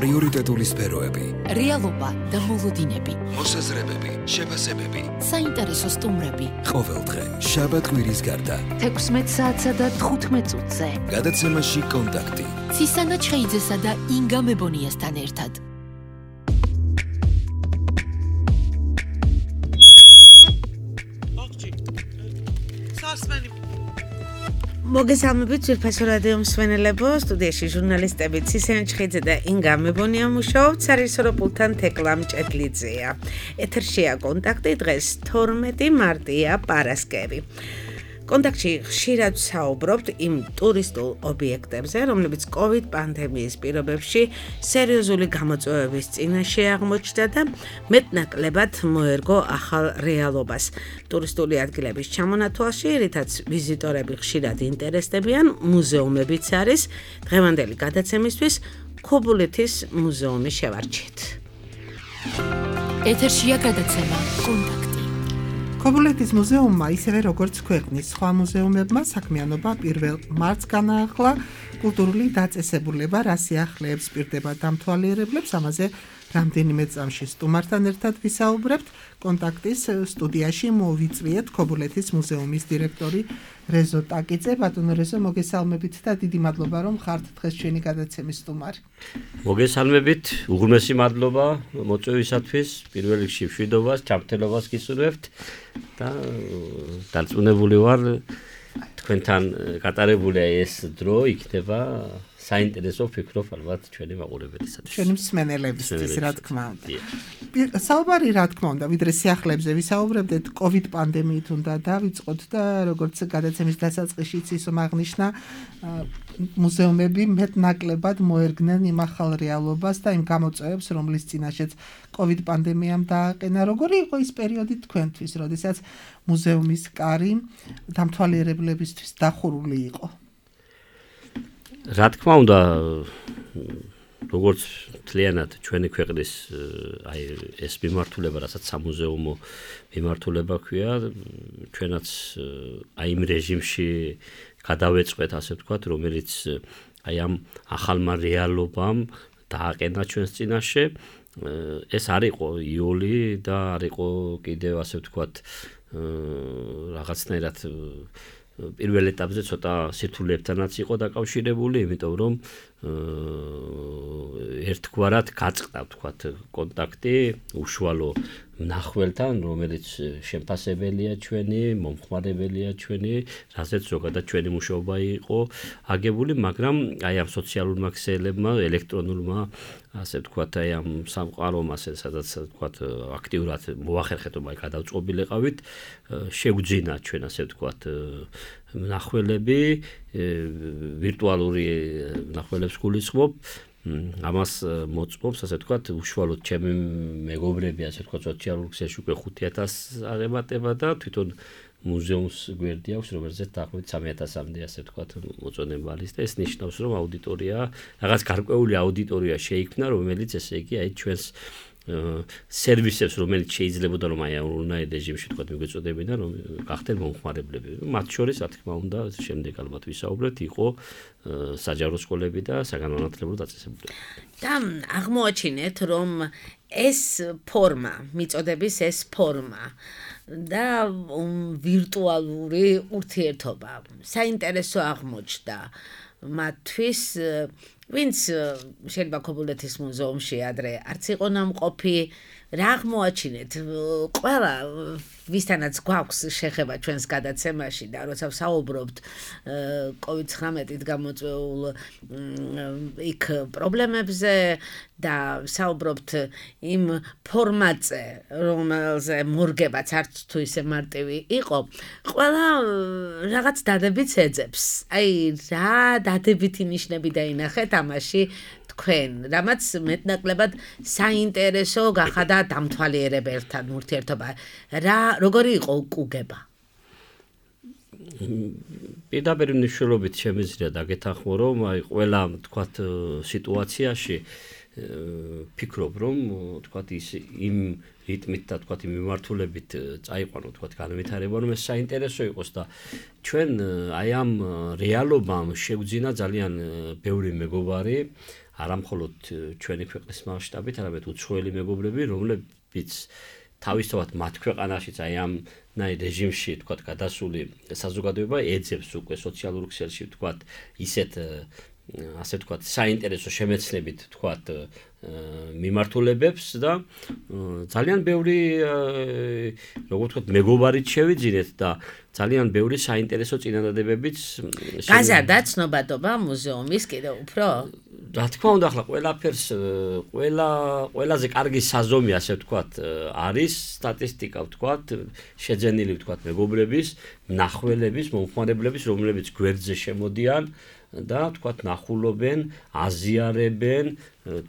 პრიორიტეტული სფეროები, რეალობა და მოლოდინები, მოსაზრებები, შეფასებები, საინტერესო სტუმრები. ყოველდღე, შაბათ-კვირის გარდა, 16 საათსა და 15 წუთზე. გადაცემაში კონტაქტი. ცისანა ჩხეიძესა და ინგა მებონიასთან ერთად. მოგესალმებით ძვირფასო რადიო მსმენელებო, სტუდიაში ჟურნალისტები ცისანა ჩხეიძე და ინგა მებონია მუშაობთ, სარისორო პულტთან თეკლა მჭედლიძეა. ეთერშია კონტაქტი, დღეს 12 მარტია, პარასკევი. კონტაქტში ხშირად საუბრობთ იმ ტურისტულ ობიექტებზე, რომლებიც COVID პანდემიის პირობებში სერიოზული გამოწვევების წინაშე აღმოჩნდა და მეტნაკლებად მოერგო ახალ რეალობას. ტურისტული ადგილების ჩამონათვალში, რითაც ვიზიტორები ხშირად ინტერესდებიან, მუზეუმებიც არის. დღევანდელი გადაცემისთვის ქობულეთის მუზეუმი შევარჩიეთ. ეთერშია გადაცემა კონტაქტი. ქობულეთის მუზეუმმა, ისევე როგორც ქვეყნის სხვა მუზეუმებმა, საქმიანობა 1 მარტს განაახლა. კულტურული დაწესებულება რა სიახლეებს პირდება დამთვალიერებლებს, ამაზე რამდენიმე წამში სტუმართან ერთად ვისაუბრებთ. კონტაქტის სტუდიაში მოვიწვიეთ ქობულეთის მუზეუმის დირექტორი რეზო ტაკიძე. ბატონო რეზო, მოგესალმებით და დიდი მადლობა, რომ ხართ დღეს ჩვენი გადაცემის სტუმარი. მოგესალმებით, უღრმესი მადლობა მოწვევისათვის, პირველ რიგში მშვიდობას, ჩამთელობას გისურვებთ და დარწმუნებული ვარ, თქვენთან გატარებული ეს დრო იქნება საინტერესო, ვფიქრობ, ალბათ ჩვენი მაყურებელისათვის. ჩვენი მსმენელებისთვის, რა თქმა უნდა. საუბარი, რა თქმა უნდა, ვიდრე სიახლეებზე ვისაუბრებდეთ, COVID პანდემიით უნდა დავიწყოთ და როგორც გადაცემის დასაწყისშიც ისომ აღნიშნა, მუზეუმები მეტნაკლებად მოერგნენ იმ ახალ რეალობას და იმ გამოწვევებს, რომლის წინაშეც COVID პანდემიამ დააყენა. როგორი იყო ის პერიოდი თქვენთვის, როდესაც მუზეუმის კარი დამთვალიერებლებისთვის დახურული იყო? რა თქმა უნდა, როგორც მთლიანად ჩვენი ქვეყნის ეს მიმართულება, რასაც სამუზეუმო მიმართულება ქვია, ჩვენაც იმ რეჟიმში გადავეწყვეთ, ასე ვთქვათ, რომელიც ამ ახალმა რეალობამ დააყენა ჩვენს წინაშე. ეს არ იყო იოლი და არ იყო კიდევ, ასე ვთქვათ, რაღაცნაირად პირველ ეტაპზე ცოტა სირთულეებთანაც იყო დაკავშირებული, იმიტომ რომ ერთგვარად გაწყდა, ვთქვათ, კონტაქტი უშუალო მნახველთან, რომელიც შემფასებელია ჩვენი, მომხმარებელია ჩვენი, რასაც ზოგადად ჩვენი მუშაობა იყო აგებული, მაგრამ აი ამ სოციალურმა ქსელებმა, ელექტრონულმა, ასე ვთქვათ, აი ამ სამყარომ, სადაც ვთქვათ, აქტიურად მოახერხეთ, რომ აი გადავწყობილიყავით, შეგვძინა ჩვენ, ასე ვთქვათ, მნახველები, ვირტუალური მნახველებს გულისხმობ. ამას მოწმობს, ასე ვთქვათ, უშუალოდ ჩემი მეგობრები, ასე ვთქვათ, სოციალურ ქსელში უკვე 5,000 აღემატება და თვითონ მუზეუმს გვერდი აქვს, რომელზეც დაახლოებით 3,000-მდე, ასე ვთქვათ, მოწონება არის და ეს ნიშნავს, რომ აუდიტორია, რაღაც გარკვეული აუდიტორია შეიქმნა, რომელიც ესე იგი აი ჩვენს სერვისებს, რომელიც შეიძლებოდა რომ აი ონლაინ რეჟიმში თქვა მიგვეწოდებინა, რომ გახდნენ მომხმარებლები. მათ შორის, რა თქმა უნდა, შემდეგ ალბათ ვისაუბრეთ, იყო საჯარო სკოლები და საგანმანათლებლო დაწესებულება. და აღმოაჩინეთ, რომ ეს ფორმა, მიწოდების ეს ფორმა და ვირტუალური ურთიერთობა საინტერესო აღმოჩნდა მათთვის, ვინც შეიძლება ქობულეთის მუზეუმში ადრე არც იყო ნამყოფი, რა აღმოაჩინეთ? ყველა ვისთანაც გვაქვს შეხება ჩვენს გადაცემაში და როცა ვსაუბრობთ COVID-19-ით გამოწვეულ იქ პრობლემებზე და ვსაუბრობთ იმ ფორმატზე, რომელზე მორგებაც არც თუ ისე მარტივი იყო, ყველა რაღაც დადებითს ეძებს. აი, რა დადებითი ნიშნები დაინახეთ ამაში თქვენ, რამაც მეტნაკლებად საინტერესო გახადა დამთვალიერებელთან ურთიერთობა. როგორი იყო უკუგება? პირდაპირ მნიშვნელობით შემიძლია დაგეთანხმო, რომ აი ყველა, თქვათ, სიტუაციაში ფიქრობ რომ თქვათ ის იმ რიტმით და თქვათ იმ მიმართულებით წაიყვანო თქვათ განვითარება რომ ეს საინტერესო იყოს და ჩვენ აი ამ რეალობამ შევძინა ძალიან ბევრი მეგობარი არა მხოლოდ ჩვენი ქვეყნის მასშტაბით არამედ უცხოელი მეგობრები რომლებიც თავისთავად მათ ქვეყანაშიც აი ამ ნაირ რეჟიმში თქვათ გადასული საზოგადოება ეძებს უკვე სოციალურ ქსელში თქვათ ისეთ ასე თქვათ საინტერესო შემეცნებით თქვათ მიმართულებებს და ძალიან ბევრი როგორ ვთქვათ მეგობარით შევიძინეთ და ძალიან ბევრი საინტერესო წინადადებებიც გაზარდა ცნობადობა მუზეუმის კიდევ უფრო რა თქმა უნდა ახლა ყველაფერს ყველაზე კარგი საზომი ასე ვთქვათ არის სტატისტიკა ვთქვათ შეძენილი ვთქვათ მეგობრების მნახველების მომხმარებლების რომლებიც გვერდზე შემოდიან და თქვათ ნახულობენ, აზიარებენ,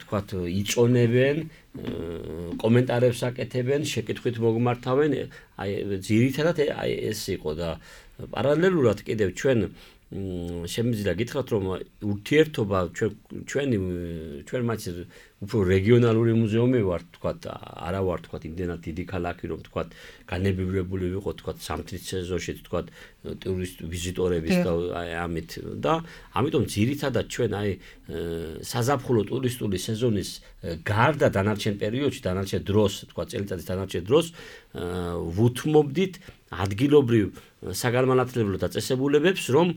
თქვათ იწონებენ, კომენტარებს აკეთებენ, შეკითხვით მოგმართავენ, აი ძირითადად აი ეს იყო და პარალელურად კიდევ ჩვენ შემიძლია გითხრათ რომ ურთიერთობა ჩვენ მათ უფრო რეგიონალური მუზეუმი ვართ თქვათ არა ვართ თქვათ იმდენად დიდი ქალაქი რომ თქვათ განებივრებული ვიყოთ თქვათ სამთის სეზონში თქვათ ტურისტ ვიზიტორების და ამით და ამიტომ ძირითადად ჩვენ აი საზაფხულო ტურისტული სეზონის გარდა დანარჩენ პერიოდში დანარჩენ დროს თქვათ წელიწადის დანარჩენ დროს ვუთმობდით ადგილობრივ საგანმანათლებლო დაწესებულებებს რომ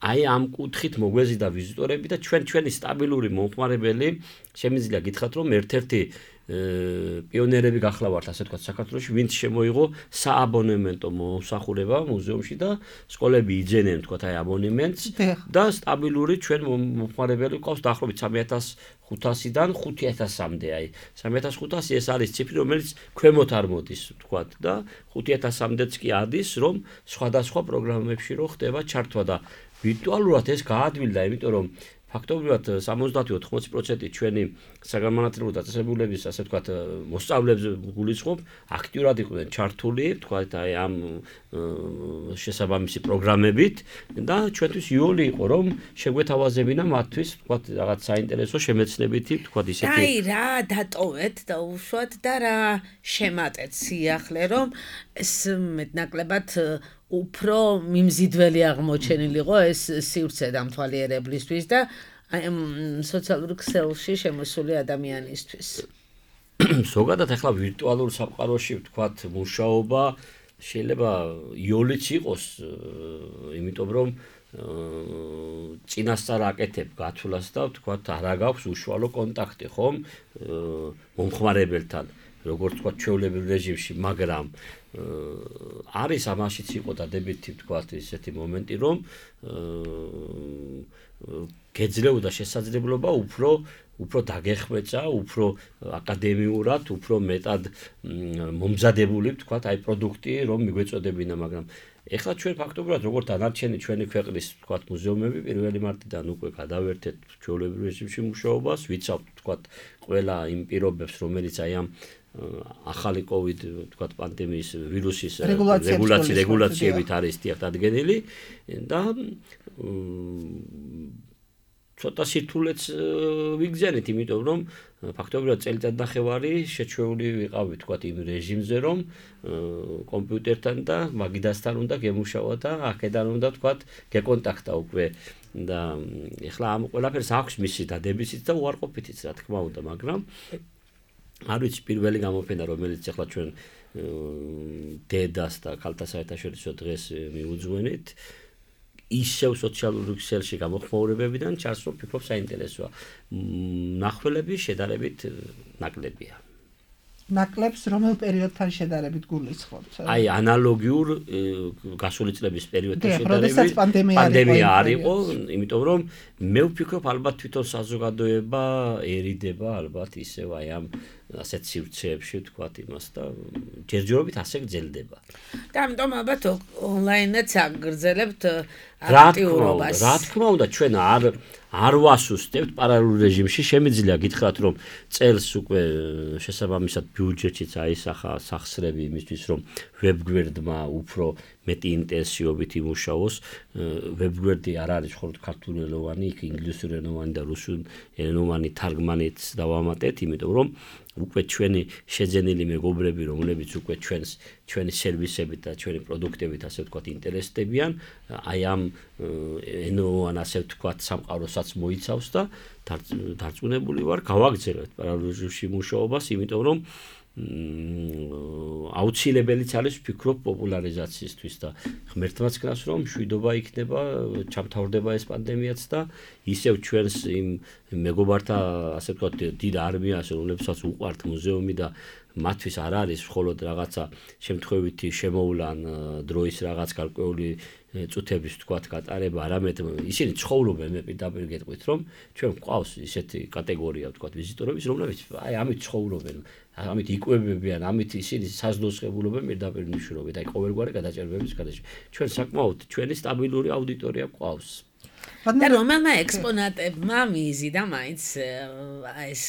აი ამ კუთხით მოგვეზიდა ვიზიტორები და ჩვენი სტაბილური მომხმარებელი შემიძლია გითხრათ რომ ერთ-ერთი პიონერები გახლავართ ასე თქვათ საქართველოში ვინც შემოიღო სააბონემენტო მომსახურება მუზეუმში და სკოლები იძენენ თქვათ აი აბონემენტს და სტაბილური ჩვენ მომხმარებელი ყავს დაახლოებით 3500-დან 5000-მდე აი 3500 ეს არის ციფრი რომელიც ქვემოთ არ მოდის თქვათ და 5000-მდეც კი ადის რომ სხვადასხვა პროგრამებში რო ხდება ჩართვა და ვირტუალურად ეს გაადვილდა იმიტომ რომ ფაქტობრივად 70-80% ჩვენი საგანმანათლებლო დაწესებულების ასე ვთქვათ მოსწავლეებს გულისხმობ აქტიურად იყვნენ ჩართული ვთქვათ აი ამ შესაბამისი პროგრამებით და ჩვენთვის იოლი იყო რომ შეგვეთავაზებინა მათთვის ვთქვათ რაღაც საინტერესო შემეცნებითი ვთქვათ ისეთი აი რა დატოვეთ და უშუალოდ და რა შემატეთ სიახლე რომ ეს მეტნაკლებად უფრო მიმზიდველი აღმოჩენილიყო ეს სივრცე დამთვალიერებლისთვის და სოციალურ ქსელში შემოსული ადამიანისთვის. ზოგადად ახლა ვირტუალურ სამყაროში ვთქვათ მუშაობა შეიძლება იოლიც იყოს, იმიტომ რომ წინასწარ აკეთებ გათვლას და ვთქვათ არა გაქვს უშუალო კონტაქტი ხომ მომხმარებელთან როგორც თქვა ჩვეულებრივ რეჟიმში, მაგრამ არის ამაშიც იყო დადებითი ვთქვათ ისეთი მომენტი, რომ გეძლეოდა შესაძლებლობა უფრო დაგეხმეცა, უფრო აკადემიურად, უფრო მეტად მომზადებული ვთქვათ აი პროდუქტი, რომ მიგვეწოდებინა, მაგრამ ეხლა ჩვენ ფაქტობრივად როგორც დანარჩენი ჩვენი ქვეყნის ვთქვათ მუზეუმები 1 მარტიდან უკვე გადავერთეთ ჩვეულებრივ რეჟიმში მუშაობას, ვიცავთ ვთქვათ ყველა იმ პირობებს, რომელიც აი ამ ახალი COVID ვთქვათ პანდემიის ვირუსის რეგულაციებით არის დადგენილი და ცოტა სირთულეც ვიგზავნით, იმიტომ რომ ფაქტობრივად წელიწადნახევარი შეჩვეული ვიყავი ვთქვათ იმ რეჟიმზე, რომ კომპიუტერთან და მაგიდასთან უნდა გემუშავა და აქედან უნდა ვთქვათ გეკონტაქტა უკვე და ეხლა ამ ყველაფერს აქვს მისი დადებითიც და უარყოფითიც რა თქმა უნდა, მაგრამ არ ვიცი პირველი გამოფენა რომელიც ახლა ჩვენ დედას და ქალთა საერთაშორისო დღეს მიუძღვენით ისევ სოციალურ ქსელში გამოხმაურებებიდან ჩანს რომ ფიქრობ საინტერესოა მნახველები შედარებით ნაკლებია ნაკლებს რომელ პერიოდთან შედარებით გულისხმობთ? აი ანალოგიურ გასული წლების პერიოდთან შედარებით პანდემია არ იყო, იმიტომ რომ მე ვფიქრობ ალბათ თვითონ საზოგადოება ერიდება ალბათ ისევ აი ამ ასეთ სივრცეებში ვთქვათ იმას და ჯერჯერობით ასე გრძელდება. და ამიტომ ალბათ ონლაინაც აგრძელებთ აქტიურობას. რა თქმა უნდა ჩვენ არ ვასუსტებთ პარალელურ რეჟიმში, შემიძლია გითხრათ რომ წელს უკვე შესაბამისად ბიუჯეტშიც აისახა სახსრები იმისთვის რომ ვებგვერდმა უფრო მეტი ინტენსივობით იმუშაოს. ვებგვერდი არ არის მხოლოდ ქართულენოვანი, იქ ინგლისურენოვანი და რუსულენოვანი თარგმანიც დავამატეთ, იმიტომ რომ უკვე ჩვენი შეძენილი მეგობრები, რომლებიც უკვე ჩვენი სერვისებით და ჩვენი პროდუქტებით, ასე ვთქვათ, ინტერესდებიან, აი ამ ენოვან, ასე ვთქვათ, სამყაროსაც მოიცავს და დარწმუნებული ვარ, გავაგრძელებთ პარალელურში მუშაობას, იმიტომ რომ აუცილებელიც არის ვფიქრობ პოპულარიზაციისთვის და ღმერთმაც გნას რომ მშვიდობა იქნება, ჩამთავრდება ეს პანდემიაც და ისევ ჩვენს იმ მეგობართა ასე ვთქვათ დიდ არმიას, რომლებსაც უყვართ მუზეუმი და მათთვის არ არის მხოლოდ რაღაცა შემთხვევითი შემოვლან დროის რაღაც გარკვეული წუთების ვთქვათ გატარება, არამედ ისინი ცხოვრობენ, მე პირდაპირ გეტყვით რომ ჩვენ გვყავს ისეთი კატეგორია ვთქვათ ვიზიტორების, რომლებიც აი ამით ცხოვრობენ, ამით იკვებებიან, ამით ისინი საზრდოს ღებულობენ პირდაპირ მნიშვნელობით, აი ყოველგვარი გადაჭერბების გადაში. ჩვენ საკმაოდ ჩვენი სტაბილური აუდიტორია გვყავს. და რომელმა ექსპონატებმა მიზიდა მაინც ეს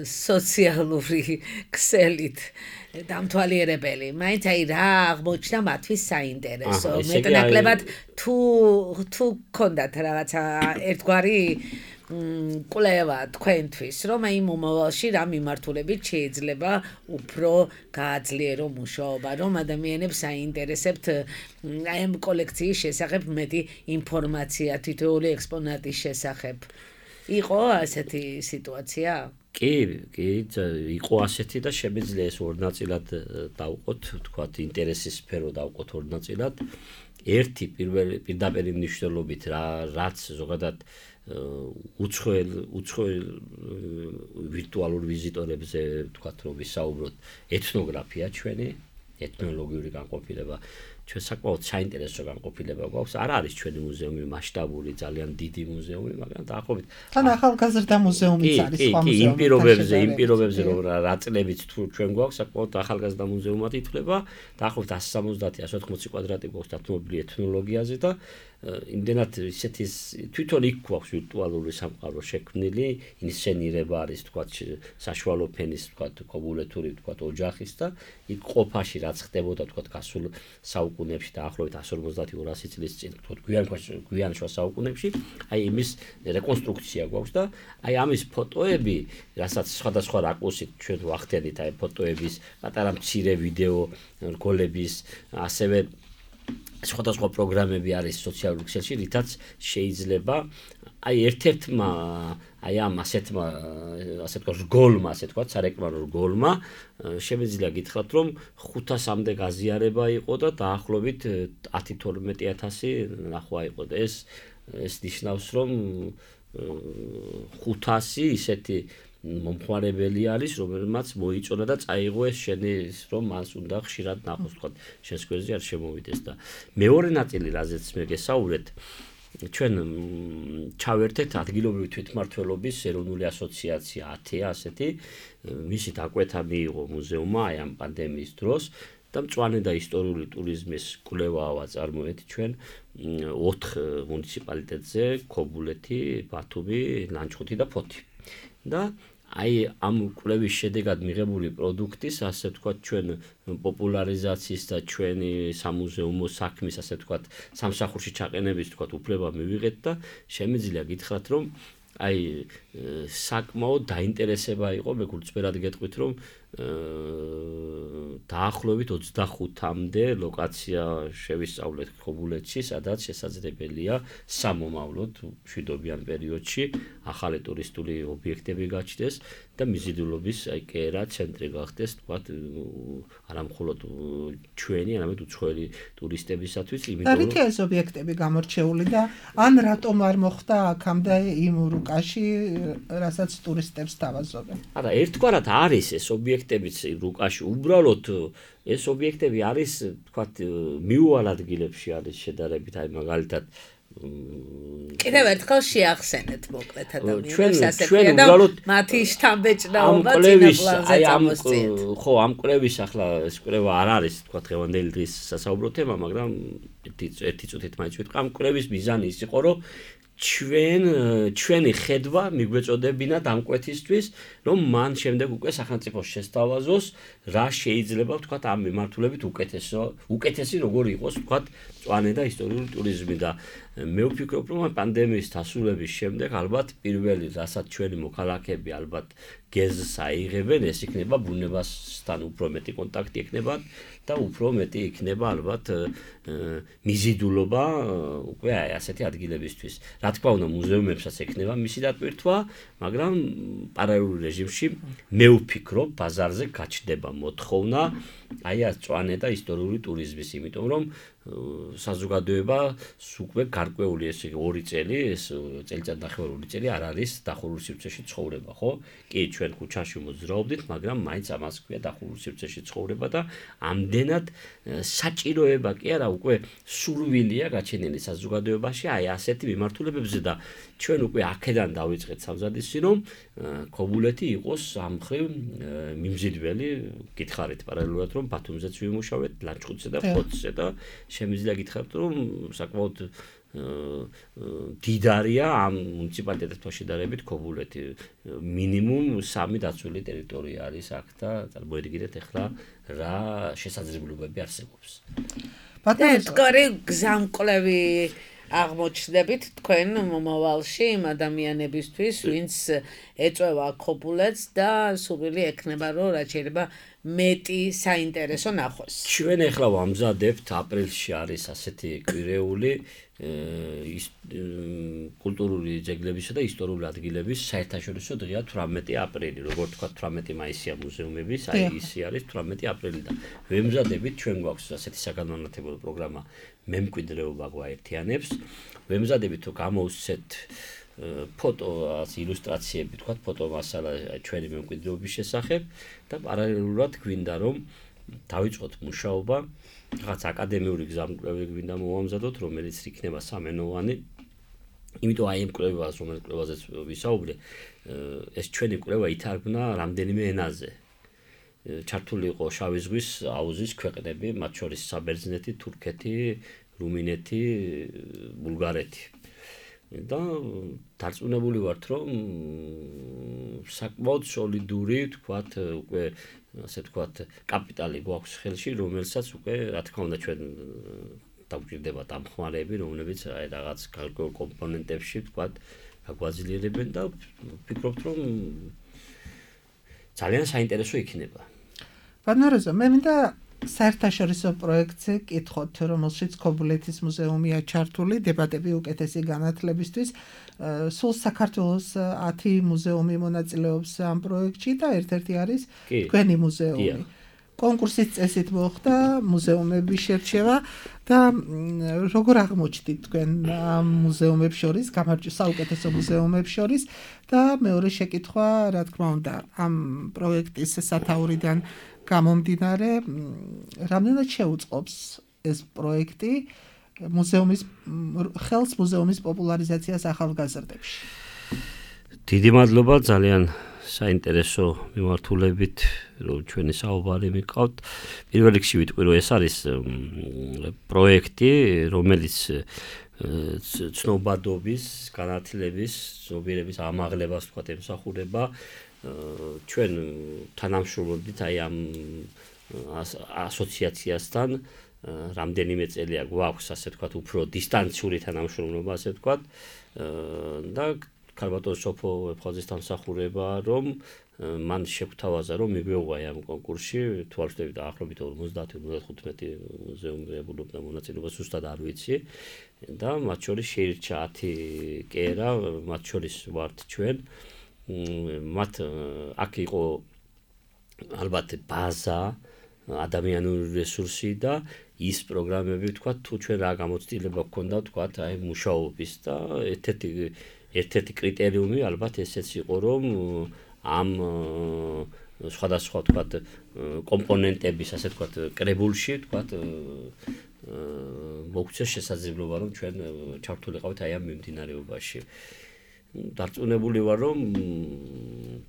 სოციალური ქსელით დამთვალიერებელი. მაინც აი რა აღმოჩნდა მათთვის საინტერესო. მეტნაკლებად თუ გქონდათ რაღაცა ერთგვარი კვლევა თქვენთვის, რომ აი მომავალში რა მიმართულებით შეიძლება უფრო გააძლიერო მუშაობა, რომ ადამიანებს აინტერესებთ აი ამ კოლექციის შესახებ მეტი ინფორმაცია თითოეული ექსპონატის შესახებ. იყო ასეთი სიტუაცია? კი, იყო ასეთი და შემიძლია ეს ორ ნაწილად დავყოთ, ვთქვათ, ინტერესის სფერო დავყოთ ორ ნაწილად. ერთი პირდაპირ მნიშვნელობით რაც ზოგადად უცხოელ ვირტუალურ ვიზიტორებზე ვთქვათ რომ ვისაუბროთ ეთნოგრაფია ჩვენი ეთნოლოგიური განყოფილება ჩვენ საკმაოდ საინტერესო განყოფილება გვაქვს არ არის ჩვენი მუზეუმი მასშტაბური ძალიან დიდი მუზეუმი მაგრამ დაახლოებით თან ახალგაზრდა მუზეუმიც არის სხვა მუზეუმი იმ პირობებზე რომ რა წლებიც თუ ჩვენ გვაქვს საკმაოდ ახალგაზრდა მუზეუმად ითვლება დაახლოებით 170-180 კვადრატი გვაქვს დათმობილი ეთნოლოგიაზე და იმდენად ისეთი თვითონ იქ გვაქვს ვირტუალური სამყარო შექმნილი ინსცენირება არის თქვა საშუალო ფენის თქვა კობულეთური თქვა ოჯახის და იქ ყოფაში რაც ხდებოდა თქვა გასულ საუკუნეებში დაახლოებით 150-200 წლის წინ თქვა გვიან შუა საუკუნეებში აი იმის რეკონსტრუქცია გვაქვს და აი ამის ფოტოები რასაც სხვადასხვა რაკურსით ჩვენ ვახდენით აი ფოტოების პატარა მცირე ვიდეო რგოლების ასევე სხვადასხვა პროგრამები არის სოციალურ ქსელში, რითაც შეიძლება აი ერთ-ერთმა აი ამ ასე თქვა რგოლმა, ასე თქვა სარეკლამო რგოლმა შემიძლია გითხრათ, რომ 500-მდე გაზიარება იყო და დაახლოებით 10-12,000 ნახვა იყო და ეს ნიშნავს, რომ 500 ისეთი მომხმარებელი არის, რომელმაც მოიწონა და წაიღო ეს შენის, რომ მას უნდა ხშირად ნახოს, თქვა, შენს გვერდზე არ შემოვიდეს და მეორე ნაწილი, რაზეც მე გესაუბრეთ, ჩვენ ჩავერთეთ ადგილობრივი თვითმმართველობის ეროვნული ასოციაცია 10 ასეთი, მისი დაკვეთა მიიღო მუზეუმმა აი ამ პანდემიის დროს და მწვანე და ისტორიული ტურიზმის კვლევაა ვაწარმოეთ ჩვენ 4 მუნიციპალიტეტზე, ქობულეთი, ბათუმი, ლანჩხუთი და ფოთი. და აი ამ კვლევის შედეგად მიღებული პროდუქტის, ასე ვთქვათ, ჩვენ პოპულარიზაციის და ჩვენი სამუზეუმო საქმის, ასე ვთქვათ, სამსახურში ჩაყენების, ვთქვათ, უფლება მივიღეთ და შემიძლია გითხრათ, რომ აი საკმაოდ დაინტერესება იყო, მე გულწრფელად გეტყვით, რომ დაახლოებით 25-მდე ლოკაცია შევისწავლეთ ქობულეთში, სადაც შესაძლებელია სამომავლოდ მშვიდობიან პერიოდში ახალი ტურისტული ობიექტები გაჩნდეს და მიზიდულობის აი კერა ცენტრი გახდეს, თქვათ, არა მხოლოდ ჩვენი, არამედ უცხოელი ტურისტებისათვის, იმიტომ რომ ეს ობიექტები გამორჩეული და ან რატომ არ მოხდა აქამდე იმ რუკაში, რასაც ტურისტებს თავაზობენ. არა, ერთგვარად არის ეს ობიექტებიც რუკაში, უბრალოდ ეს ობიექტები არის, თქვათ, მიუვალ ადგილებში არის შედარებით, აი მაგალითად კიდევ ერთხელ შეახსენეთ მოკლედ ადამიანებს ასე და მათი შთამბეჭდაობა წინაპლანზე წამოსწიეთ. ხო, ამ კვლევის ახლა ეს კვლევა არ არის, თქვათ, დღევანდელი დღის სასაუბრო თემა, მაგრამ ერთი წუთით მაინც ვიტყვი, ამ კვლევის მიზანი ის იყო, რომ ჩვენი ხედვა მიგვეწოდებინათ ამ კვეთისთვის, რომ მან შემდეგ უკვე სახელმწიფოს შესთავაზოს, რა შეიძლება ვთქვათ ამ მიმართულებით უკეთესი როგორ იყოს ვთქვათ მწვანე და ისტორიული ტურიზმი და მე ვფიქრობ, რომ პანდემიის დასრულების შემდეგ ალბათ პირველი, რასაც ჩვენი მოქალაქეები ალბათ გეზს აიღებენ, ეს იქნება ბუნებასთან უფრო მეტი კონტაქტი იქნებათ და უფრო მეტი იქნება ალბათ მიზიდულობა უკვე ასეთი ადგილებისთვის. Რა თქმა უნდა, მუზეუმებსაც ექნება მისი დატვირთვა, მაგრამ პარალელურ რეჟიმში მე ვფიქრობ, ბაზარზე გაჩნდება მოთხოვნა აი ამ მწვანე და ისტორიული ტურიზმის, იმიტომ რომ საზოგადოებას უკვე გარკვეული ეს 2 წელი, ეს წელიწადნახევარი წელი არ არის დახურულ სივრცეში ცხოვრება, ხო? კი, ჩვენ ქუჩაში მოძრაობდით, მაგრამ მაინც ამას ქვია დახურულ სივრცეში ცხოვრება და ამდენად საჭიროება კი არა, უკვე სურვილია გაჩენილი საზოგადოებაში აი ასეთი მიმართულებებზე და ჩვენ უკვე აქედან დავიწყეთ სამზადისი, რომ ქობულეთი იყოს ამ მხრივ მიმზიდველი, გითხარით პარალელურად, რომ ბათუმზეც ვიმუშავეთ, ლანჩხუთზე და ფოთზე და შემიძლია გითხრათ, რომ საკმაოდ დიდარია ამ მუნიციპალიტეტთან შედარებით ქობულეთი. მინიმუმ 3 დაცული ტერიტორია არის აქ და წარმოედგინეთ ახლა რა შესაძლებლობები არსებობს. ბატონო, გზამკვლევი აღმოჩნდებით თქვენ მომავალში იმ ადამიანებისთვის, ვინც ეწევა ქობულეთს და სურვილი ექნება, რომ რაც შეიძლება მეტი საინტერესო ნახოს. ჩვენ ახლა ვამზადებთ აპრილში არის ასეთი კვირეული კულტურული ძეგლებისა და ისტორიული ადგილების საერთაშორისო დღეა 18 აპრილი, როგორც თქვა 18 მაისია მუზეუმების, აი ისი არის 18 აპრილი და ვემზადებით, ჩვენ გვაქვს ასეთი საგანმანათლებლო პროგრამა მემკვიდრეობა გვაერთიანებს, ვემზადებით თუ გამოვსცეთ ფოტო ილუსტრაციები, თქვა ფოტომასალა ჩვენი მემკვიდრეობის შესახებ და პარალელურად გვინდა რომ დავიწყოთ მუშაობა, რაღაც აკადემიური გზამკვლევი გვინდა მოვამზადოთ, რომელიც იქნება სამენოვანი. იმიტომ აი ამ კვლევას, რომელიც კვლევაზეც ვისაუბრე, ეს ჩვენი კვლევა ითარგმნა რამდენიმე ენაზე. ჩართული იყო შავი ზღვის აუზის ქვეყნები, მათ შორის საბერძნეთი, თურქეთი, რუმინეთი, ბულგარეთი. და დარწმუნებული ვართ, რომ საკმაოდ სოლიდური, თქვათ, უკვე ასე ვთქვათ, კაპიტალი გვაქვს ხელში, რომელსაც უკვე, რა თქმა უნდა, ჩვენ დაგვჭირდება დამხმარეები, რომლებიც აი რაღაც გარკვეულ კომპონენტებში, თქვათ, გაგვაძლიერებენ და ვფიქრობთ, რომ ძალიან საინტერესო იქნება. ბანაროზო, მე მინდა საერთაშორისო პროექტზე კითხოთ, რომელშიც ქობულეთის მუზეუმია ჩართული, დებატები უკეთესი განათლებისთვის. სულ საქართველოს 10 მუზეუმი მონაწილეობს ამ პროექტში და ერთ-ერთი არის თქვენი მუზეუმი. კონკურსის წესით მოხდა მუზეუმების შერჩევა და როგორ აღმოჩნდით თქვენ ამ მუზეუმებს შორის, საუკეთესო მუზეუმებს შორის და მეორე შეკითხვა, რა თქმა უნდა, ამ პროექტის სათაურიდან გამომდინარე, რამდენად შეუწყობს ეს პროექტი ხელს მუზეუმის პოპულარიზაციას ახალგაზრდებში? დიდი მადლობა, ძალიან საინტერესო მიმართულებით, რომ ჩვენი საუბარი მიყავთ. პირველ რიგში ვიტყვი, რომ ეს არის პროექტი, რომელიც ცნობადობის, განათლების, ზოგიერების ამაღლებას თქვათ ემსახურება. ჩვენ თანამშრომლობდით აი ამ ასოციაციასთან რამდენიმე წელია გვაქვს ასე ვთქვათ უფრო დისტანციური თანამშრომლობა ასე ვთქვათ და ქალბატონ სოფო ვეფხაზის დამსახურება რომ მან შეგვთავაზა რომ მიგვეუღა ამ კონკურსში თვალშდებით დაახლოებით 50-55 მუზეუმი ებულობდა მონაწილეობას ზუსტად არ ვიცი და მათ შორის შეირჩა 10 კერა მათ შორის ვართ ჩვენ მათ აქ იყო ალბათ ბაზა ადამიანური რესურსი და ის პროგრამები ვთქვათ თუ ჩვენ რა გამოცდილება გქონდა ვთქვათ აი მუშაობის და ერთ-ერთი კრიტერიუმი ალბათ ესეც იყო რომ ამ სხვადასხვა ვთქვათ კომპონენტების ასე ვთქვათ კრებულში ვთქვათ მოგვცეს შესაძლებლობა რომ ჩვენ ჩართულიყავით აი ამ მიმდინარეობაში. დარწმუნებული ვარ რომ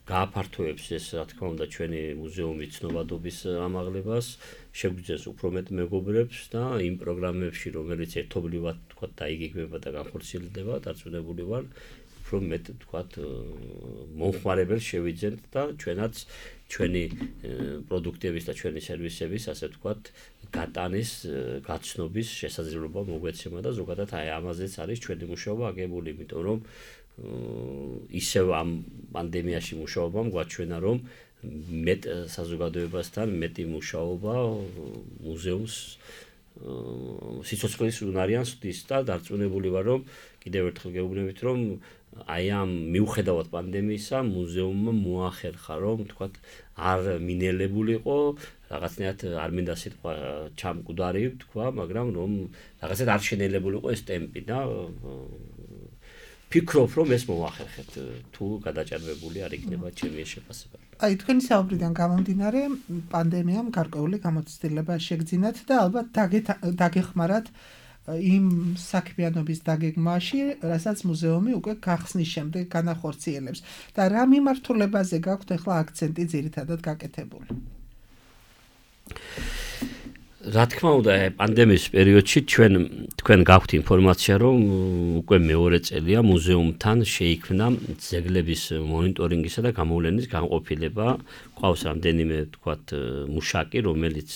გააფართოებს ეს რა თქმა უნდა ჩვენი მუზეუმის ცნობადობის ამაღლებას, შეგვიძლია უფრო მეტ მეგობრებს და იმ პროგრამებში, რომელიც ერთობლივად თქვა დაიგეგმება და განხორციელდება, დარწმუნებული ვარ, უფრო მეტ თქვა მომხმარებელს შევიძენთ და ჩვენაც ჩვენი პროდუქტების და ჩვენი სერვისების, ასე ვთქვათ, გატანის, გაცნობის შესაძლებლობა მოგვეცემა და ზოგადად აი ამაზეც არის ჩვენი მუშაობა აგებული, იმიტომ რომ ისევ ამ პანდემიაში მუშაობამ გვაჩვენა, რომ მეტ საზოგადოებასთან მეტი მუშაობა მუზეუმს სიცოცხლის უნარიანს ხდის და დარწმუნებული ვარ, რომ კიდევ ერთხელ გეუბნებით, რომ აი ამ მიუხედავად პანდემიისა მუზეუმმა მოახერხა, რომ თქვათ არ მინელებულიყო, რაღაცნაირად არ მინდა სიტყვა ჩამკვდარი თქვა, მაგრამ რომ რაღაცნაირად არ შენელებულიყო ეს ტემპი და ფიქრობ, რომ ეს მოახერხეთ, თუ გადაჭარბებული არ იქნება ჩემი შეფასება. აი თქვენი საუბრიდან გამომდინარე, პანდემიამ გარკვეული გამოცდილება შეგძინათ და ალბათ დაგეხმარათ იმ საქმიანობის დაგეგმვაში, რასაც მუზეუმი უკვე გახსნის შემდეგ განახორციელებს. და რა მიმართულებაზე გაქვთ ახლა აქცენტი ძირითადად გაკეთებული? რა თქმა უნდა, პანდემიის პერიოდში თქვენ გაქვთ ინფორმაცია, რომ უკვე მეორე წელია მუზეუმთან შეიქმნა ძეგლების მონიტორინგისა და გამოვლენის განყოფილება. ყავს რამდენიმე თქვათ მუშაკი, რომელიც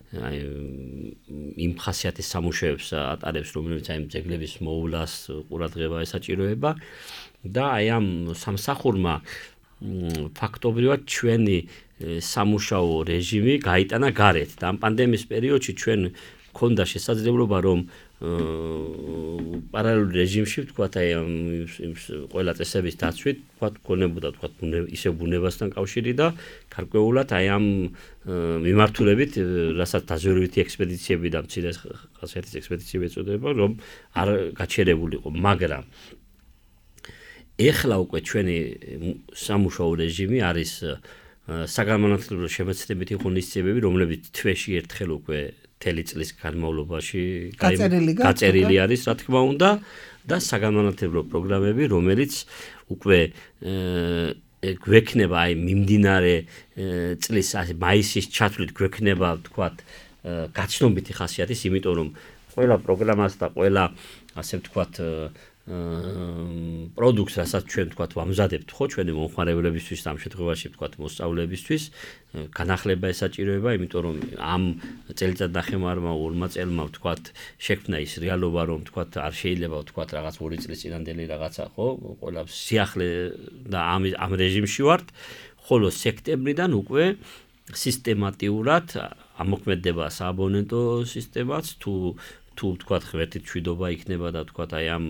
აი იმ ხასიათის სამუშაოებს ატარებს, რომელიც აი ძეგლების მოვლას ყურადღება ესაჭიროება და აი ამ სამსახურმა ფაქტობრივად ჩვენი სამუშაო რეჟიმი გაიტანა გარეთ და ამ პანდემიის პერიოდში ჩვენ გქონდა შესაძლებლობა, რომ პარალელურ რეჟიმში ვთქვათ, აი ყველა წესების დაცვით, ვთქვათ, გქონებოდა ვთქვათ ისევ ბუნებასთან კავშირი და გარკვეულად აი ამ მიმართულებით, რასაც დაზვერვითი ექსპედიციები და მცირე ხასიათის ექსპედიციები ეწოდება, რომ არ გაჩერებულიყო, მაგრამ ეხლა უკვე ჩვენი სამუშაო რეჟიმი არის საგანმანათლებლო შემეცნებითი ღონისძიებები, რომლებიც თვეში ერთხელ უკვე მთელი წლის განმავლობაში გაწერილი არის, რა თქმა უნდა, და საგანმანათლებლო პროგრამები, რომელიც უკვე გვექნება აი მიმდინარე წლის მაისის ჩათვლით გვექნება, ვთქვათ, გაცნობითი ხასიათის, იმიტომ რომ ყველა პროგრამას და ყველა, ასე ვთქვათ, პროდუქტს, რასაც ჩვენ ვთქვათ, ვამზადებთ ხო ჩვენი მომხმარებლებისთვის, ამ შემთხვევაში ვთქვათ, მოსწავლეებისთვის, განახლება ესაჭიროება, იმიტომ რომ ამ წელიწადნახევარმა, ორმა წელმა ვთქვათ, შექმნა ის რეალობა, რომ ვთქვათ, არ შეიძლება ვთქვათ, რაღაც 2 წლის წინანდელი რაღაცა, ხო, ყველა სიახლე და ამ რეჟიმში ვართ, ხოლო სექტემბრიდან უკვე სისტემატიურად ამოქმედება სააბონენტო სისტემაც, თუ ვთქვათ, ღმერთით მშვიდობა იქნება და ვთქვათ, აი ამ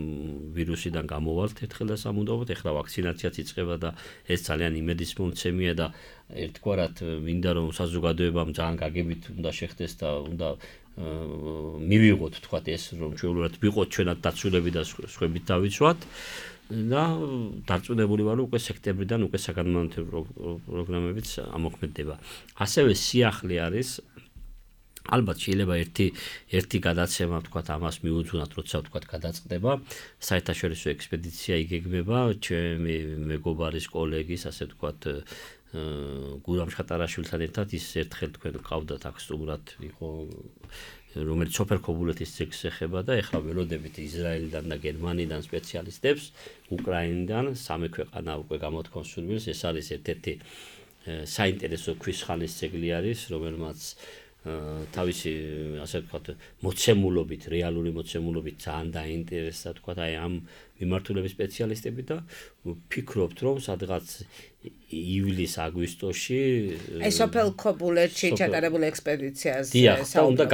ვირუსიდან გამოვალთ ერთხელ და სამუდამოდ, ეხლა ვაქცინაციაც იწყება და ეს ძალიან იმედის მომცემია და ერთგვარად მინდა რომ საზოგადოებამ ძალიან გაგებით უნდა შეხდეს და უნდა მივიღოთ, ვთქვათ, ეს რომ ჩვეულებრივად ვიყოთ ჩვენად დაცულები და სხვებით დავიცვათ და დარწმუნებული ვარ, უკვე სექტემბრიდან უკვე საგანმანათლებლო პროგრამებიც ამოქმედება. ასევე სიახლე არის ალბათ შეიძლება ერთი გადაცემა ვთქვათ ამას მიუძღვნათ, როცა ვთქვათ გადაწყდება, საერთაშორისო ექსპედიცია იგეგმება, ჩემი მეგობარის კოლეგის, ასე ვთქვათ, გურამ შხატარაშვილთან ერთად ის ერთხელ თქვენ ყავდათ აქ სტუმრად იყო, რომელიც სოფელ ქობულეთის ძეგლს ეხება და ეხლა ველოდებით ისრაელიდან და გერმანიიდან სპეციალისტებს, უკრაინიდან, სამი ქვეყანა უკვე გამოთქვამს სურვილს, ეს არის ერთ-ერთი საინტერესო ქვის ხანის ძეგლი არის, რომელმაც თავისი, ასე ვთქვათ, მოცემულობით, რეალური მოცემულობით ძალიან დაინტერესდა, ვთქვათ, აი ამ მიმართულების სპეციალისტები და ვფიქრობთ, რომ სადღაც ივლის-აგვისტოში აი სოფელ ქობულეთში ჩატარებული ექსპედიციაზე უნდა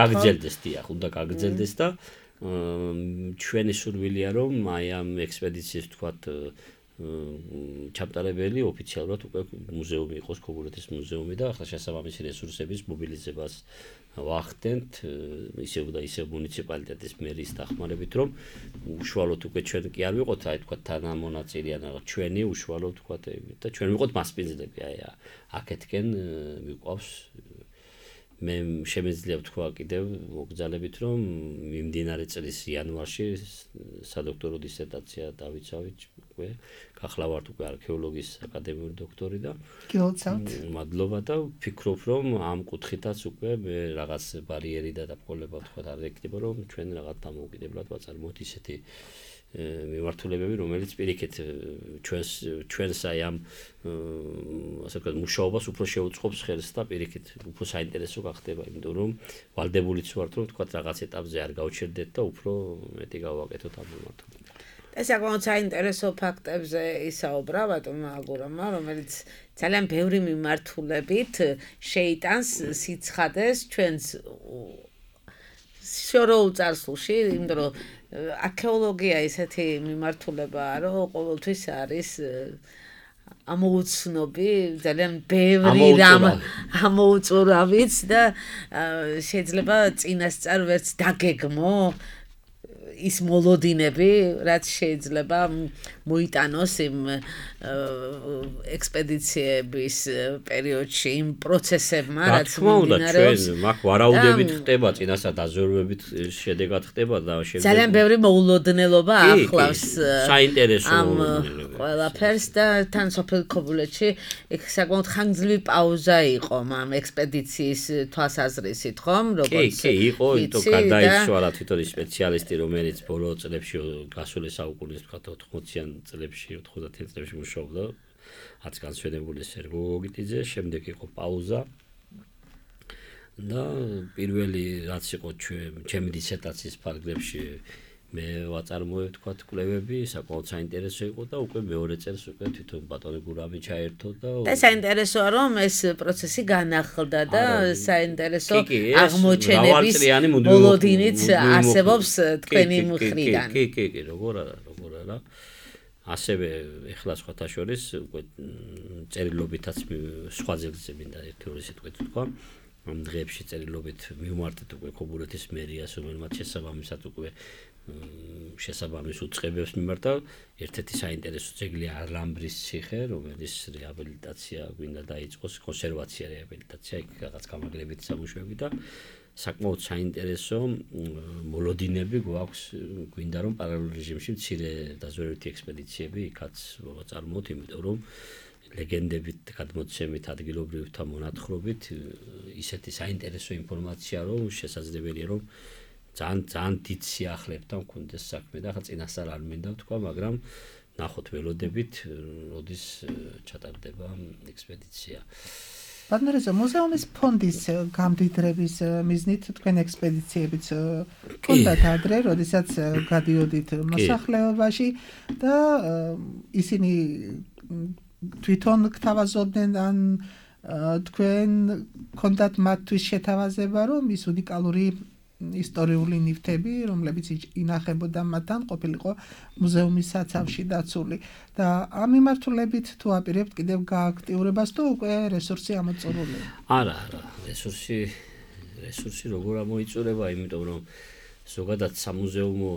გაგრძელდეს და ჩვენი სურვილია, რომ აი ამ ექსპედიციის, ვთქვათ, ჩამტარებელი ოფიციალურად უკვე მუზეუმი იყოს, ქობულეთის მუზეუმი და ახლა შესაბამისი რესურსების მობილიზებას ვახდენთ, ისევ და ისევ მუნიციპალიტეტის მერის დახმარებით, რომ უშუალოდ უკვე ჩვენ კი არ ვიყოთ, აი თქვა თანამონაწილე ან ჩვენი უშუალოდ თქვა და ჩვენ ვიყოთ მასპინძლები, აი აქეთკენ მიყვავს მე შემეძლია ვთქვა კიდევ მოგზალებით, რომ მიმდინარე წლის იანვარში სადოქტორო დისერტაცია დავიცავით უკვე ახლა ვართ უკვე არქეოლოგიის აკადემიური დოქტორი და გილოცავთ. მადლობა და ვფიქრობ რომ ამ კუთხითაც უკვე მე რაღაც ბარიერი და დაბრკოლება თქვა არ ეკდება რომ ჩვენ რაღაც დამოუკიდებლად ვაწარმოოთ ისეთი მიმართულებები რომელიც პირიქით ჩვენს აი ამ ასე ვთქვათ მუშაობას უფრო შეუწყობს ხელს და პირიქით უფრო საინტერესო გახდება იმიტომ რომ ვალდებულიც ვართ რომ ვთქვათ რაღაც ეტაპზე არ გავჩერდეთ და უფრო მეტი გავაკეთოთ ამ მიმართულებით. ეს საკმაოდ საინტერესო ფაქტებზე ისაუბრა ბატონმა აგურამმა, რომელიც ძალიან ბევრი მიმართულებით შეიტანს სიცხადეს ჩვენს შორეულ წარსულში, იმიტომ რომ არქეოლოგია ისეთი მიმართულებაა, რომ ყოველთვის არის ამოუცნობი, ძალიან ბევრი რამ ამოუწურავიც და შეიძლება წინასწარ ვერც დაგეგმო ის მოლოდინები, რაც შეიძლება მოიტანოს იმ ექსპედიციების პერიოდში, იმ პროცესებმა, რაც მიმდინარეობს. ჩვენ მაგ ვარაუდებით ხდება, წინასწარ დაზვერვებით შედეგად ხდება და შემდეგ ძალიან ბევრი მოულოდნელობა ახლავს საინტერესო ამ ყველაფერს და თან სოფელ ქობულეთში იქ საკმაოდ ხანგრძლივი პაუზა იყო ამ ექსპედიციის თვალსაზრისით, ხომ? როგორც იყო, იმიტომ გადაიცვალა თვითონ სპეციალისტი, რომელიც ბოლო წლებში გასული საუკუნის ვთქვათ 80-იან წლებში 90-იან წლებში მუშაობდა რაც განსვენებული სერგო გოგიტიძე, შემდეგ იყო პაუზა და პირველი რაც იყო ჩემი დისერტაციის ფარგლებში მე ვაწარმოე ვთქვათ კვლევები, საკმაოდ საინტერესო იყო და უკვე მეორე წელს უკვე თვითონ ბატონი გურამი ჩაერთო და საინტერესოა რომ ეს პროცესი განახლდა და საინტერესო აღმოჩენების მოლოდინიც არსებობს თქვენი მხრიდან. კი, როგორ არა. ასევე ეხლა სხვათა შორის უკვე წერილობითაც სხვა ძეგლზე მინდა ერთი-ორი სიტყვით ვთქვა. ამ დღეებში წერილობით მივმართეთ უკვე ქობულეთის მერიას, რომელმაც შესაბამისად უკვე შესაბამის უწყებებს მიმართა. ერთ-ერთი საინტერესო ძეგლია არლამბრის ციხე, რომელიც რეაბილიტაცია გვინდა დაიწყოს, კონსერვაცია რეაბილიტაცია, იქ რაღაც გამაგრებით სამუშაოები და საკმაოდ საინტერესო მოლოდინები გვაქვს, გვინდა რომ პარალელურ რეჟიმში მცირე დაზვერვითი ექსპედიციები იქაც ვაწარმოოთ, იმიტომ რომ ლეგენდებით, გადმოცემით, ადგილობრივთა მონათხრობით ისეთი საინტერესო ინფორმაცია რომ შესაძლებელია რომ ძალიან დიდ სიახლებთან მქონდეს საქმე და ხა წინასწარ არ მინდა ვთქვა, მაგრამ ნახოთ ველოდებით, როდის ჩატარდება ექსპედიცია. ბატონო, მუზეუმის ფონდის გამდიდრების მიზნით თქვენ ექსპედიციებიც გქონდათ ადრე, როდესაც გადიოდით მოსახლეობაში და ისინი თვითონ გთავაზობდნენ ან თქვენ გქონდათ მათთვის შეთავაზება, რომ ის უნიკალური ისტორიული ნივთები, რომლებიც ინახებოდა მათთან, ყოფილიყო მუზეუმის საცავში დაცული და ამ მიმართულებით თუ აპირებთ კიდევ გააქტიურებას თუ უკვე რესურსი ამოწურული? არა, რესურსი როგორ ამოიწურება, იმიტომ რომ ზოგადად სამუზეუმო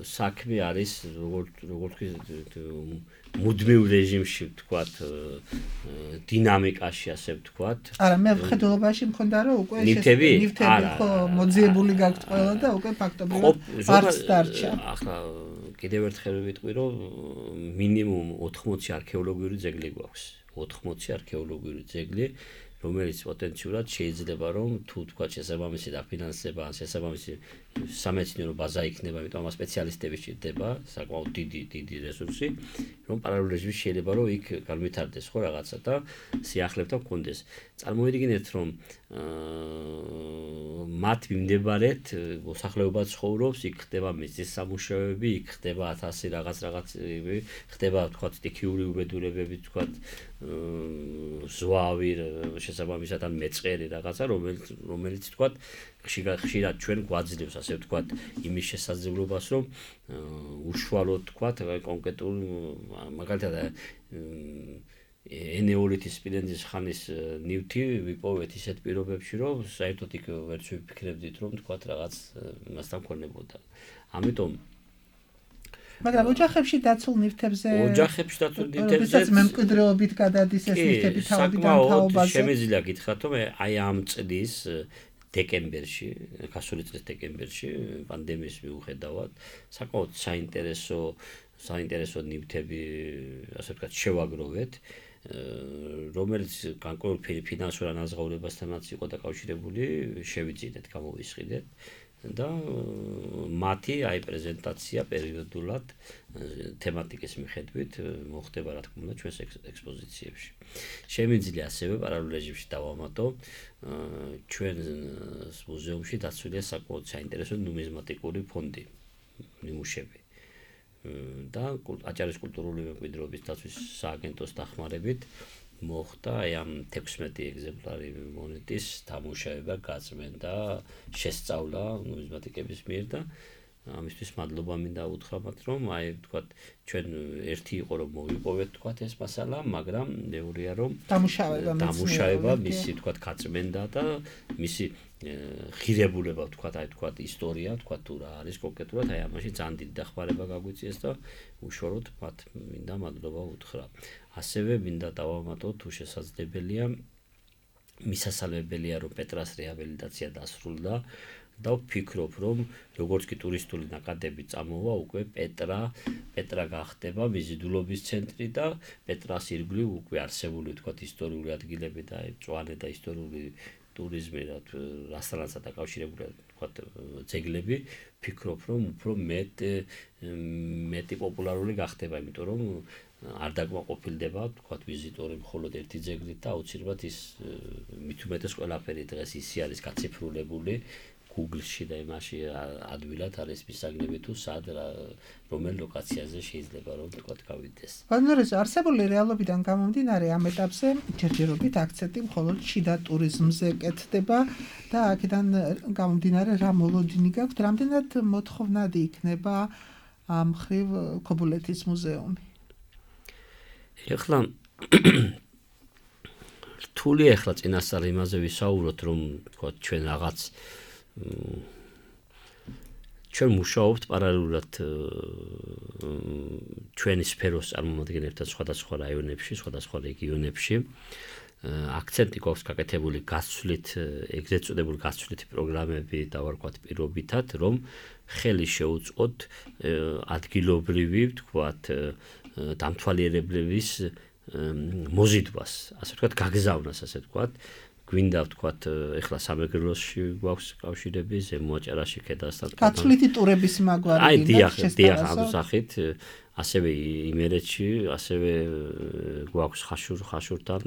საქმე არის როგორ მუდმივ რეჟიმში ვთქვათ დინამიკაში ასე ვთქვათ. არა, მე ვხედულობაში მქონდა რომ უკვე ნივთები ხო მოძიებული გაქვთ ყველა და უკვე ფაქტობრივად არც დარჩა. ახლა კიდევ ერთხელ ვიტყვი რომ მინიმუმ 80 არქეოლოგიური ძეგლი გვაქვს. 80 არქეოლოგიური ძეგლი რომელიც პოტენციურად შეიძლება რომ თუ თქვა შესაბამისი დაფინანსება ან შესაბამისი სამეცნიერო ბაზა იქნება, იმიტომ რომ სპეციალისტები შედება, საკმაოდ დიდი რესურსი, რომ პარალელურ რეჟიმში შეიძლება რომ იქ განვითარდეს ხო რაღაცა და სიახლებთან მქონდეს. წარმოიდგინეთ რომ მათ მიმდებარედ მოსახლეობა ცხოვრობს, იქ ხდება მიწის სამუშაოები, იქ ხდება 1000 რაღაცები, ხდება თქვა სტიქიური უბედურებები, თქვა ზვავი შესაბამისად ან მეწყერი რაღაცა, რომელიც თქვა ხშირად ჩვენ გვაძლევს ასე ვთქვათ იმის შესაძლებლობას რომ უშუალოდ ვთქვათ კონკრეტულ მაგალითად ენეოლითის სპილენძის ხანის ნივთი ვიპოვეთ ისეთ პირობებში რომ საერთოდ იქ ვერც ვიფიქრებდით რომ ვთქვათ რაღაც მასთან ქონებოდა. ამიტომ მაგრამ ოჯახებში დაცულ ნივთებზე როდესაც მემკვიდრეობით გადადის ეს ნივთები თავიდან თაობაზე შემიძლია გითხრათ რომ აი ამ წლის დეკემბერში, გასული წლის დეკემბერში, პანდემიის მიუხედავად, საკმაოდ საინტერესო საინტერესო ნივთები, ასე ვთქვათ, შევაგროვეთ, რომელიც განკუთვნილ ფინანსურ ანაზღაურებასთანაც იყო დაკავშირებული, შევიძინეთ, გამოვისყიდეთ და მათი პრეზენტაცია პერიოდულად თემატიკის მიხედვით მოხდება, რა თქმა უნდა, ჩვენს ექსპოზიციებში. Შემიძლია ასევე პარალელურ რეჟიმში დავამატო, ჩვენ მუზეუმში დაცულია საკმაოდ საინტერესო ნუმიზმატიკური ფონდი, ნიმუშები. და აჭარის კულტურული მემკვიდრეობის დაცვის სააგენტოს დახმარებით მოხდა ამ 16 ეგზემპლარი მონეტის დამუშავება, გაწმენდა, შესწავლა ნუმიზმატიკების მიერ და ამისთვის მადლობა მინდა უთხრა მათ, რომ ვთქვათ, ჩვენ ერთი იყო რომ მოვიპოვეთ ვთქვათ ეს მასალა, მაგრამ მეორეა რომ დამუშავება მისი ვთქვათ გაწმენდა და მისი ღირებულება ვთქვათ ისტორია ვთქვათ თუ რა არის კონკრეტულად ამაში ძალიან დიდი დახმარება გაგვიწიეს და უშუალოდ მათ მინდა მადლობა უთხრა. ასევე მინდა დავამატო თუ შესაძლებელია მისასალმებელია რომ პეტრას რეაბილიტაცია დასრულდა და ვფიქრობ რომ როგორც კი ტურისტული ნაკადები წამოვა უკვე პეტრა გახდება მიზიდულობის ცენტრი და პეტრას ირგვლივ უკვე არსებული ვთქვათ ისტორიული ადგილები და მწვანე და ისტორიული ტურიზმი რასთანაც დაკავშირებული ვთქვათ ძეგლები ვფიქრობ რომ უფრო მეტი პოპულარული გახდება, იმიტომ რომ არ დაკმაყოფილდება ვთქვათ ვიზიტორი მხოლოდ ერთი ძეგლით და აუცილებლად ის მით უმეტეს ყველაფერი დღეს ისე არის გაციფრულებული Google-ში და იმაში ადვილად არის მისაგნები თუ სად რომელ ლოკაციაზე შეიძლება რომ ვთქვათ გავიდეს. ბანერზე არსებული რეალობიდან გამომდინარე ამ ეტაპზე ჯერჯერობით აქცენტი მხოლოდ შიდა ტურიზმზე კეთდება და აქედან გამომდინარე რა მოლოდინი გაქვთ, რამდენად მოთხოვნადი იქნება ამ ხრივ ქობულეთის მუზეუმი? ეხლა რთული ეხლა წინასწარ იმაზე ვისაუბროთ რომ ვთქვათ ჩვენ რაღაც ჩვენ მუშაობთ პარალელურად ჩვენი სფეროს წარმომადგენლებთან სხვადასხვა რაიონებში, სხვადასხვა რეგიონებში. აქცენტი გვაქვს გაკეთებული გასვლით, ეგრეთ წოდებული გასვლითი პროგრამები და ვარქვათ პირობითად, რომ ხელი შეუწყოთ ადგილობრივი, ვთქვათ, დამთვალიერებლების მოზიდვას, ასე ვთქვათ, გაგზავნას, ასე ვთქვათ. გვინდა ვთქვათ, ეხლა სამეგრელოსში გვაქვს კავშირები, ზემო აჭარაში, ქედასთან. გაცვლითი ტურების მაგვარი დიახ, ამ სახით, ასევე იმერეთში, ასევე გვაქვს ხაშურთან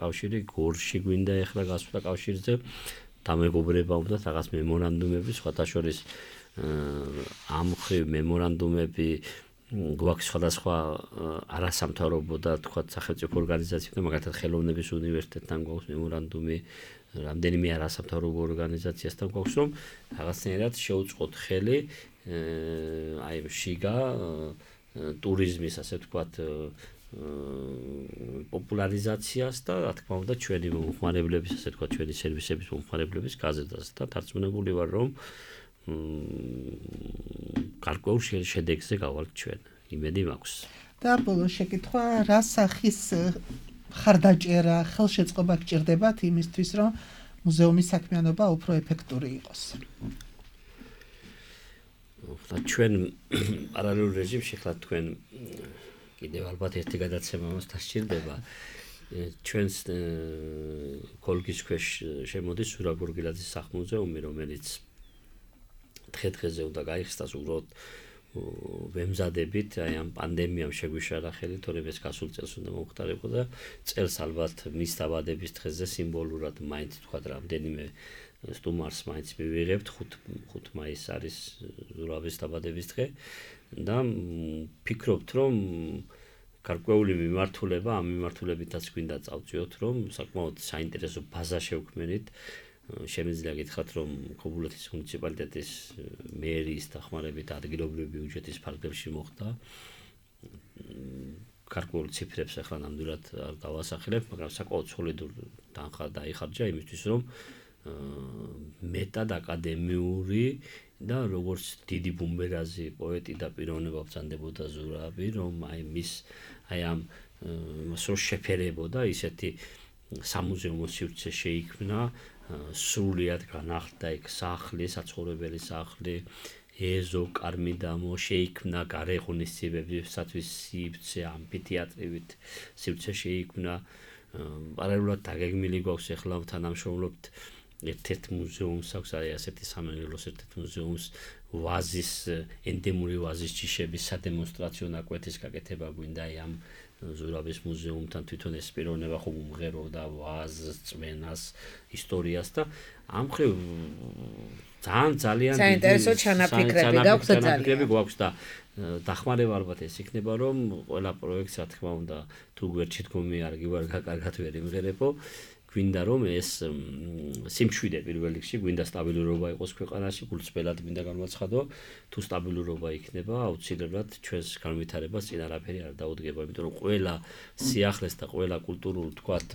კავშირი, გორში გვინდა ეხლა გასვლა კავშირზე, დამეგობრება უნდა რაღაც მემორანდუმები, სხვათა შორის ამ ხრივ მემორანდუმები გვაქვს სხვადასხვა არასამთავრობო და თქვათ სახელმწიფო ორგანიზაციებთან, მაგალითად ხელოვნების უნივერსიტეტთან გვაქვს მემორანდუმი, რამდენიმე არასამთავრობო ორგანიზაციასთან გვაქვს, რომ რაღაცნაირად შეუწყოთ ხელი შიგა ტურიზმის, ასე ვთქვათ, პოპულარიზაციას და რა თქმა უნდა ჩვენი მომხმარებლების, ასე ვთქვათ, ჩვენი სერვისების მომხმარებლების გაზრდას და დარწმუნებული ვარ, რომ გარკვეულ შედეგზე გავალთ ჩვენ, იმედი მაქვს. და ბოლო შეკითხვა, რა სახის ხარდაჭერა, ხელშეწყობა გჭირდებათ იმისთვის, რომ მუზეუმის საქმიანობა უფრო ეფექტური იყოს? ჩვენ პარალელურ რეჟიმში ხლა თქვენ კიდევ ალბათ ერთი გადაცემა მას დასჭირდება. ჩვენს კოლგის ქვეშ შემოდის სურა გორგილაძის სახლ-მუზეუმი, რომელიც დღე-დღეზე უნდა გაიხსნას, უბრალოდ ვემზადებით ამ პანდემიამ შეგვიშალა ხელი, თორემ ეს გასულ წელს უნდა მომხდარიყო და წელს ალბათ მის დაბადების დღეზე სიმბოლურად მაინც თქვა რამდენიმე სტუმარს მაინც მივიღებთ, 5 მაისს არის ზურავის დაბადების დღე და ვფიქრობთ, რომ გარკვეული მიმართულება, ამ მიმართულებითაც გვინდა წავწიოთ, რომ საკმაოდ საინტერესო ბაზა შევქმნით. Შემიძლია გითხრათ, რომ ქობულეთის მუნიციპალიტეტის მერის დახმარებით ადგილობრივი ბიუჯეტის ფარგლებში მოხდა. გარკვეულ ციფრებს ახლა ნამდვილად არ დავასახელებ, მაგრამ საკმაოდ სოლიდურ დაიხარჯა იმისთვის, რომ მეტად აკადემიური და როგორც დიდი ბუმბერაზი პოეტი და პიროვნება ბრძანდებოდა ზურავი, რომ ამ იმას რო შეფერებოდა ისეთი სამუზეუმო სივრცე შეიქმნა, სრულიად განახლდა იქ სახლი, საცხოვრებელი სახლი, ეზო, კარმიდამო შეიქმნა გარე ღონისძიებებისათვის სივრცე, ამფითეატრივით სივრცე შეიქმნა. პარალელურად დაგეგმილი გვაქვს ახლა თანამშრომლობთ ერთ-ერთ მუზეუმს აქვს ასეთი სამეგრელოს ერთ-ერთ მუზეუმს ვაზის ენდემური ვაზის ჯიშების სადემონსტრაციო ნაკვეთის გაკეთება გვინდა ამ ზურავის მუზეუმთან თვითონ ეს პიროვნება ხომ უმღეროდა ვაზს, წმენას, ისტორიას და ამ მხრივ ძალიან საინტერესო ჩანაფიქრები გვაქვს და დახმარება ალბათ ეს იქნება რომ ყველა პროექტს რა თქმა უნდა თუ გვერდში თქომი არ გივარ კარგად ვერ იმღერებო გვინდა რომ ეს სიმშვიდე პირველ რიგში გვინდა სტაბილურობა იყოს ქვეყანაში გულწრფელად მინდა განვაცხადო თუ სტაბილურობა იქნება აუცილებლად ჩვენს განვითარებას წინ არაფერი არ დაუდგება იმიტომ რომ ყველა სიახლეს და ყველა კულტურულ თქვათ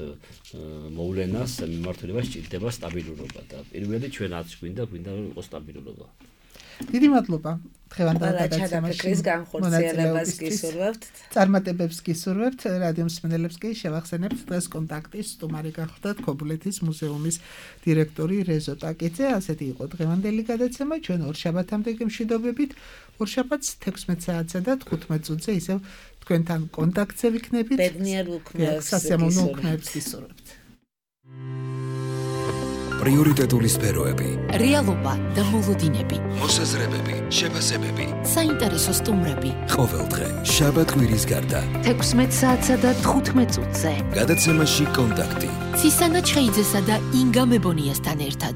მოვლენას მიმართულება სჭირდება სტაბილურობა და პირველი ჩვენაც გვინდა რომ იყოს სტაბილურობა დიდი მადლობა დღევანდელ გადაცემაში განხორციელებას გისურვებთ წარმატებებს გისურვებთ რადიო მსმენელებს კი შევახსენებთ დღეს კონტაქტის სტუმარი გახლდათ ქობულეთის მუზეუმის დირექტორი რეზო ტაკიძე ასეთი იყო დღევანდელი გადაცემა ჩვენ ორშაბათამდე გემშვიდობებით ორშაბათს 16 საათსა და 15 წუთზე ისევ თქვენთან კონტაქტზე ვიქნებით ბედნიერ უქმნელს სასიამოვნო უქმნელს გისურვებთ პრიორიტეტული სფეროები, რეალობა და მოლოდინები, მოსაზრებები, შეფასებები, საინტერესო სტუმრები. ყოველდღე, შაბათ-კვირის გარდა, 16 საათსა და 15 წუთზე. გადაცემაში კონტაქტი. ცისანა ჩხეიძესა და ინგა მებონიასთან ერთად.